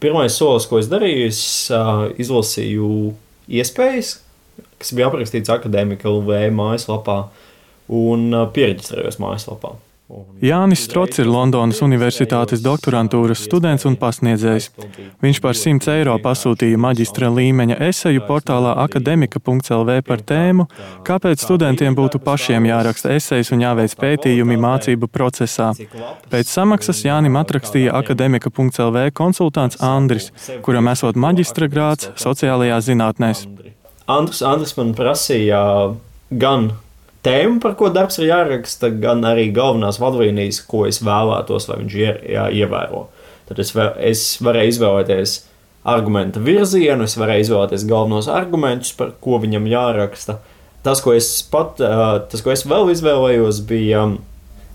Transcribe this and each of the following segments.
pirmais solis, ko es darīju, es izlasīju iespējas, kas bija aprakstīts Akadēmika LV mājaslapā un piereģistrējos mājaslapā. Jānis Strots ir Londonas Universitātes doktorantūras students un pasniedzējs. Viņš par 100 eiro pasūtīja maģistra līmeņa eseju portālā akademika.lv par tēmu, kāpēc studentiem būtu pašiem jāraksta esejas un jāveic pētījumi mācību procesā. Pēc samaksas Jānim atrakstīja akademika.lv konsultants Andris, kuram esot maģistra grāds sociālajās zinātnēs. Andris man prasīja gan tēmu, par ko darbs ir jāraksta, gan arī galvenās vadlīnijas, ko es vēlētos, lai viņš ievēro. Tad es varēju izvēlēties argumenta virzienu, es varēju izvēlēties galvenos argumentus, par ko viņam jāraksta. Tas, ko es vēl izvēlējos, bija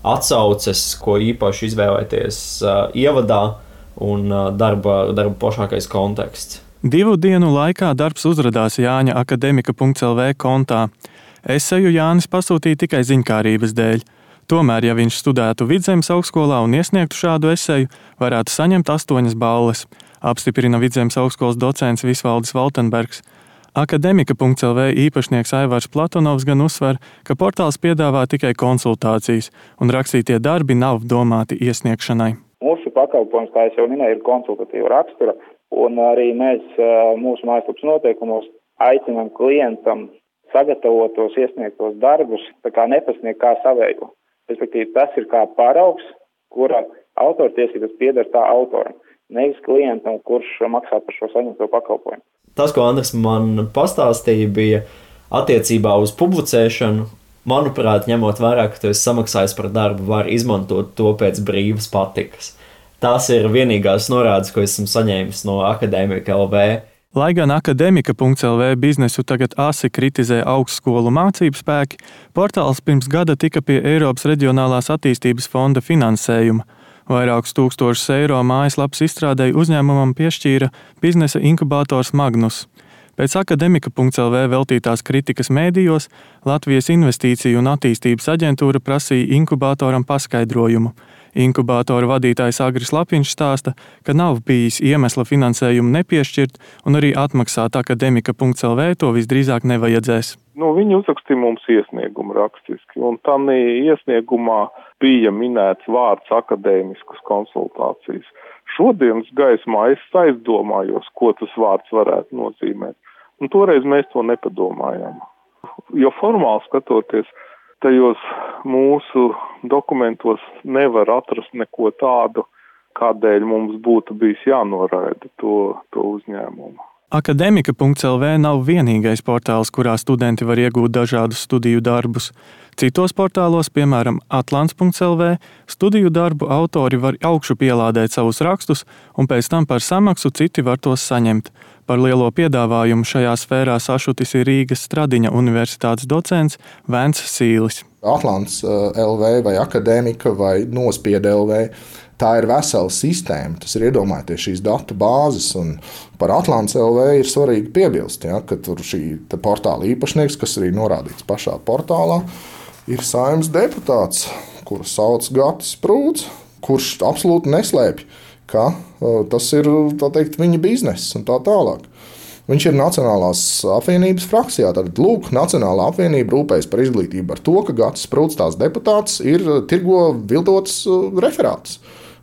atsauces, ko īpaši izvēlēties ievadā un darba plašākais konteksts. 2 dienu laikā darbs uzradās Jāņa akademika.lv kontā. Eseju Jānis pasūtīja tikai ziņkārības dēļ. Tomēr, ja viņš studētu Vidzemes augstskolā un iesniegtu šādu eseju, varētu saņemt 8 balles, apstiprina Vidzemes augstskolas docents Visvaldis Valtenbergs. Akademika.lv īpašnieks Aivars Platonovs gan uzsver, ka portāls piedāvā tikai konsultācijas, un rakstītie darbi nav domāti iesniegšanai. Mūsu pakalpojums, kā es jau minēju, ir konsultatīva rakstura, un arī mēs mūsu mājaslapas noteikumos aicinām klientam sagatavotos, iesniegtos darbus, tā kā nepasniegt kā savējo. Respektīvi, tas ir kā paraugs, kura autortiesības pieder tā autoram, nevis klientam, kurš maksā par šo saņemto pakalpojumu. Tas, ko Andris man pastāstīja, bija attiecībā uz publicēšanu. Manuprāt, ņemot vērā, ka tu esi samaksājis par darbu, var izmantot to pēc brīvas patikas. Tās ir vienīgās norādes, ko esmu saņēmis no Akadēmika LV. Lai gan akademika.lv biznesu tagad asi kritizē augstskolu mācību spēki, portāls pirms gada tika pie Eiropas Reģionālās attīstības fonda finansējuma. Vairākus tūkstošus eiro mājaslapas izstrādēji uzņēmumam piešķīra biznesa inkubators Magnus. Pēc akademika.lv veltītās kritikas mēdījos Latvijas Investīciju un attīstības aģentūra prasīja inkubatoram paskaidrojumu. Inkubatora vadītājs Agris Lapiņš stāsta, ka nav bijis iemesla finansējumu nepiešķirt un arī atmaksāt akademika.lv to visdrīzāk nevajadzēs. Viņi uzrakstīja mums iesniegumu rakstiski, un tam iesniegumā bija minēts vārds akadēmiskas konsultācijas. Šodienas gaismā es aizdomājos, ko tas vārds varētu nozīmēt, un toreiz mēs to nepadomājām. Jo formāli skatoties, tajos mūsu dokumentos nevar atrast neko tādu, kādēļ mums būtu bijis jānoraida to uzņēmumu. Akademika.lv nav vienīgais portāls, kurā studenti var iegūt dažādus studiju darbus. Citos portālos, piemēram, atlants.lv, studiju darbu autori var augšu pielādēt savus rakstus, un pēc tam par samaksu citi var tos saņemt. Par lielo piedāvājumu šajā sfērā sašutis ir Rīgas Stradiņa universitātes docents Vents Sīlis. Atlants LV vai Akadēmika vai Nospieda LV. Tā ir vesela sistēma, tas ir iedomājieties šīs datu bāzes, un par Atlants LV ir svarīgi piebilst, ka tur šī portāla īpašnieks, kas arī norādīts pašā portālā, ir Saeimas deputāts, kuru sauc Gatis Sprūds, kurš absolūti neslēpj, ka tas ir, tā teikt, viņa bizness un tā tālāk. Viņš ir Nacionālās apvienības frakcijā, tad lūk, Nacionālā apvienība rūpējas par izglītību ar to, ka Gatis Sprūds tās deputāts ir tirgo viltotas referātus.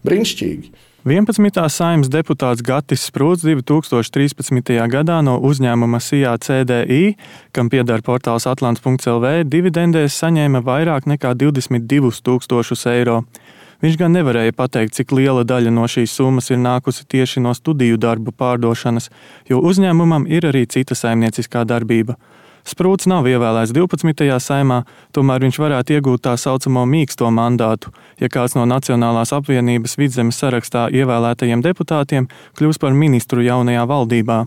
Brīnišķīgi. 11. Saeimas deputāts Gatis Sprūds 2013. gadā no uzņēmuma SIA CDI, kam pieder portāls atlants.lv, dividendēs saņēma vairāk nekā 22 000 eiro. Viņš gan nevarēja pateikt, cik liela daļa no šīs summas ir nākusi tieši no studiju darbu pārdošanas, jo uzņēmumam ir arī cita saimnieciskā darbība. Sprūds nav ievēlēts 12. saimā, tomēr viņš varētu iegūt tā saucamo mīksto mandātu, ja kāds no Nacionālās apvienības Vidzemes sarakstā ievēlētajiem deputātiem kļūs par ministru jaunajā valdībā.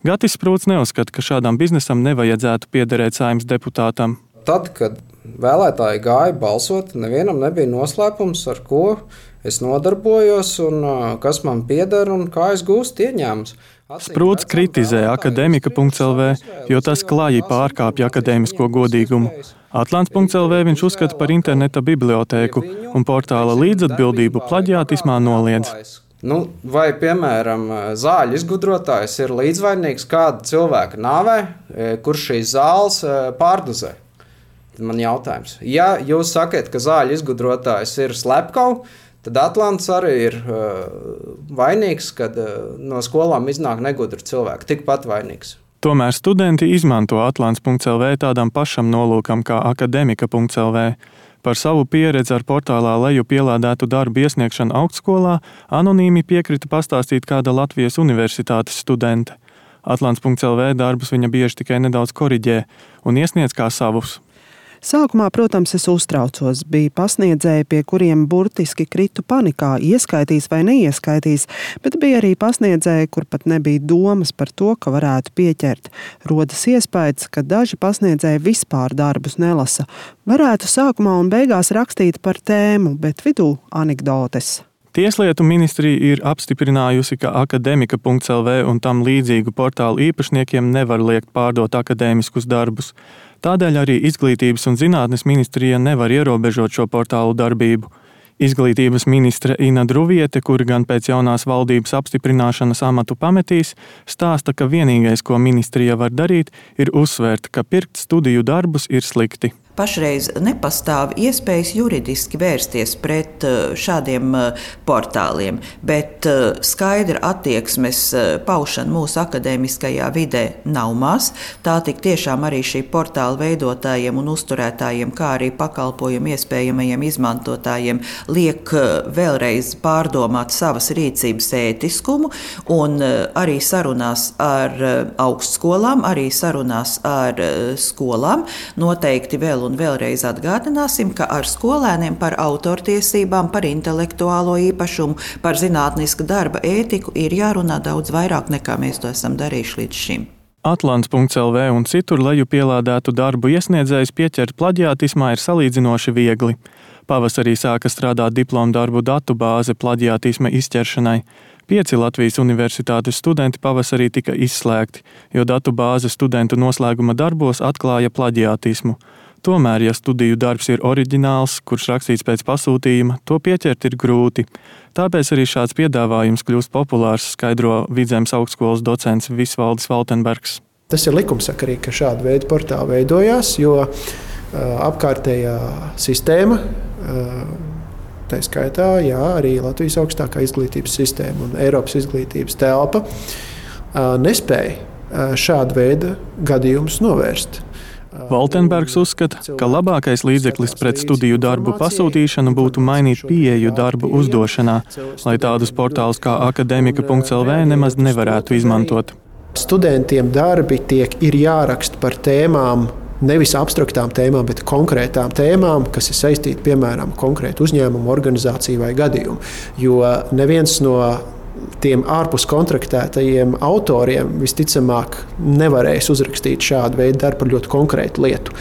Gatis Sprūds neuzskata, ka šādam biznesam nevajadzētu piederēt Saeimas deputātam. Tad, kad vēlētāji gāja balsot, nevienam nebija noslēpums, ar ko es nodarbojos un kas man pieder un kā es gūstu ieņēmumus. Sprūds kritizē akademika.lv, jo tas klāji pārkāpja akadēmisko godīgumu. Atlants.lv viņš uzskata par interneta bibliotēku un portāla līdzatbildību plaģiātismā noliedz. Vai, piemēram, zāļu izgudrotājs ir līdzvainīgs kāda cilvēka nāvē, kurš šīs zāles pārdozē? Tad man jautājums. Ja jūs sakat, ka zāļu izgudrotājs ir slepkava, tad Atlants arī ir vainīgs, kad no skolām iznāk negudri cilvēki, tikpat vainīgs. Tomēr studenti izmanto atlants.lv tādam pašam nolūkam kā akademika.lv. Par savu pieredzi ar portālā leju pielādētu darbu iesniegšanu augstskolā anonīmi piekrita pastāstīt kāda Latvijas universitātes studente. Atlants.lv darbus viņa bieži tikai nedaudz koriģē un iesniedz kā savus. Sākumā, protams, es uztraucos. Bija pasniedzēji, pie kuriem burtiski kritu panikā, ieskaitīs vai neieskaitīs, bet bija arī pasniedzēji, kur pat nebija domas par to, ka varētu pieķert. Rodas iespējas, ka daži pasniedzēji vispār darbus nelasa. Varētu sākumā un beigās rakstīt par tēmu, bet vidū anekdotes. Tieslietu ministrija ir apstiprinājusi, ka akademika.lv un tam līdzīgu portālu īpašniekiem nevar liekt pārdot akadēmiskus darbus. Tādēļ arī Izglītības un zinātnes ministrija nevar ierobežot šo portālu darbību. Izglītības ministre Ina Druviete, kura gan pēc jaunās valdības apstiprināšanas amatu pametīs, stāsta, ka vienīgais, ko ministrija var darīt, ir uzsvērt, ka pirkt studiju darbus ir slikti. Pašreiz nepastāv iespējas juridiski vērsties pret šādiem portāliem, bet skaidra attieksmes paušana mūsu akadēmiskajā vidē nav maz. Tā tik tiešām arī šī portāla veidotājiem un uzturētājiem, kā arī pakalpojumu iespējamajiem izmantotājiem liek vēlreiz pārdomāt savas rīcības ētiskumu un arī sarunās ar augstskolām, arī sarunās ar skolām noteikti vēl un vēlreiz atgādināsim, ka ar skolēniem par autortiesībām, par intelektuālo īpašumu, par zinātniska darba ētiku ir jārunā daudz vairāk nekā mēs to esam darījuši līdz šim. Atlants.lv un citur leju pielādētu darbu iesniedzējs pieķert plaģiātismā ir salīdzinoši viegli. Pavasarī sāka strādāt diplomdarbu datubāze plaģiātisma izķeršanai. 5 Latvijas universitātes studenti pavasarī tika izslēgti, jo datubāze studentu noslēguma darbos atklāja plaģiātismu. Tomēr, ja studiju darbs ir oriģināls, kurš rakstīts pēc pasūtījuma, to pieķert ir grūti. Tāpēc arī šāds piedāvājums kļūst populārs, skaidro Vidzemes augstskolas docents Visvaldis Valtenbergs. Tas ir likumsakarīgi, ka šāda veida portāli veidojās, jo apkārtējā sistēma, tā skaitā arī Latvijas augstākā izglītības sistēma un Eiropas izglītības telpa, nespēja šādu veidu gadījumus novērst. Valtenbergs uzskata, ka labākais līdzeklis pret studiju darbu pasūtīšanu būtu mainīt pieeju darbu uzdošanā, lai tādus portālus kā akademika.lv nemaz nevarētu izmantot. Studentiem darbi ir jāraksta par tēmām, nevis abstraktām tēmām, bet konkrētām tēmām, kas ir saistīti, piemēram, konkrētu uzņēmumu, organizāciju vai gadījumu. Jo neviens no tiem ārpus kontraktētajiem autoriem visticamāk nevarēs uzrakstīt šādu veidu darbu par ļoti konkrētu lietu.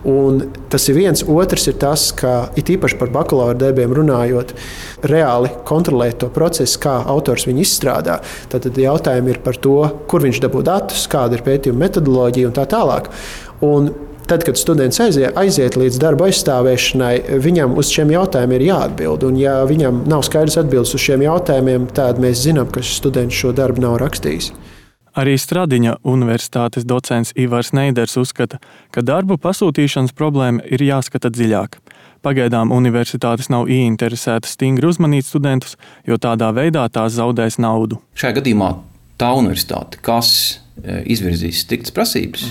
Un tas ir viens. Otrs ir tas, ka it īpaši par bakalaura darbiem runājot, reāli kontrolēt to procesu, kā autors viņu izstrādā. Tad jautājumi ir par to, kur viņš dabū datus, kāda ir pētījuma metodoloģija un tā tālāk. Un tad, kad students aiziet līdz darba aizstāvēšanai, viņam uz šiem jautājumiem ir jāatbild. Un, ja viņam nav skaidrs atbildes uz šiem jautājumiem, tad mēs zinām, ka šis students šo darbu nav rakstījis. Arī Stradiņa universitātes docents Ivars Neiders uzskata, ka darbu pasūtīšanas problēma ir jāskata dziļāk. Pagaidām universitātes nav ieinteresētas stingri uzmanīt studentus, jo tādā veidā tās zaudēs naudu. Šajā gadījumā tā universitāte, kas izvirzīs striktas prasības,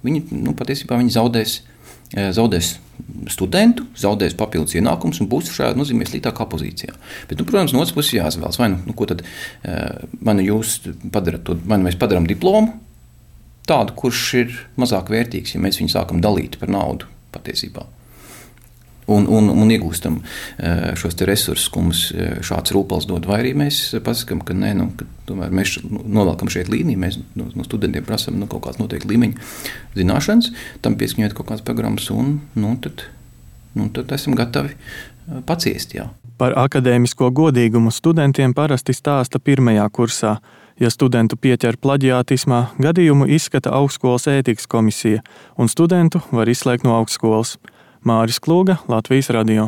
viņi patiesībā zaudēs studentu, zaudēs papildus ienākumus un būs šajā nozīmē sliktākā pozīcijā. Bet, protams, no otras puses jāizvēlas, ko tad mēs padarām diplomu tādu, kurš ir mazāk vērtīgs, ja mēs viņu sākam dalīt par naudu patiesībā. Un iegūstam šos te resursus, ko mums šāds rūpals dod, vai arī mēs pasakām, ka nē, ka tomēr mēs novelkam šeit līniju, mēs no studentiem prasam kaut kāds noteikti līmeņa zināšanas, tam pieskaņot kaut kādas programmas, un tad esam gatavi paciest, jā. Par akadēmisko godīgumu studentiem parasti stāsta pirmajā kursā. Ja studentu pieķer plaģiātismā, gadījumu izskata augstskolas ētikas komisija, un studentu var izslēgt no augstskolas. Māris Klūga, Latvijas radio.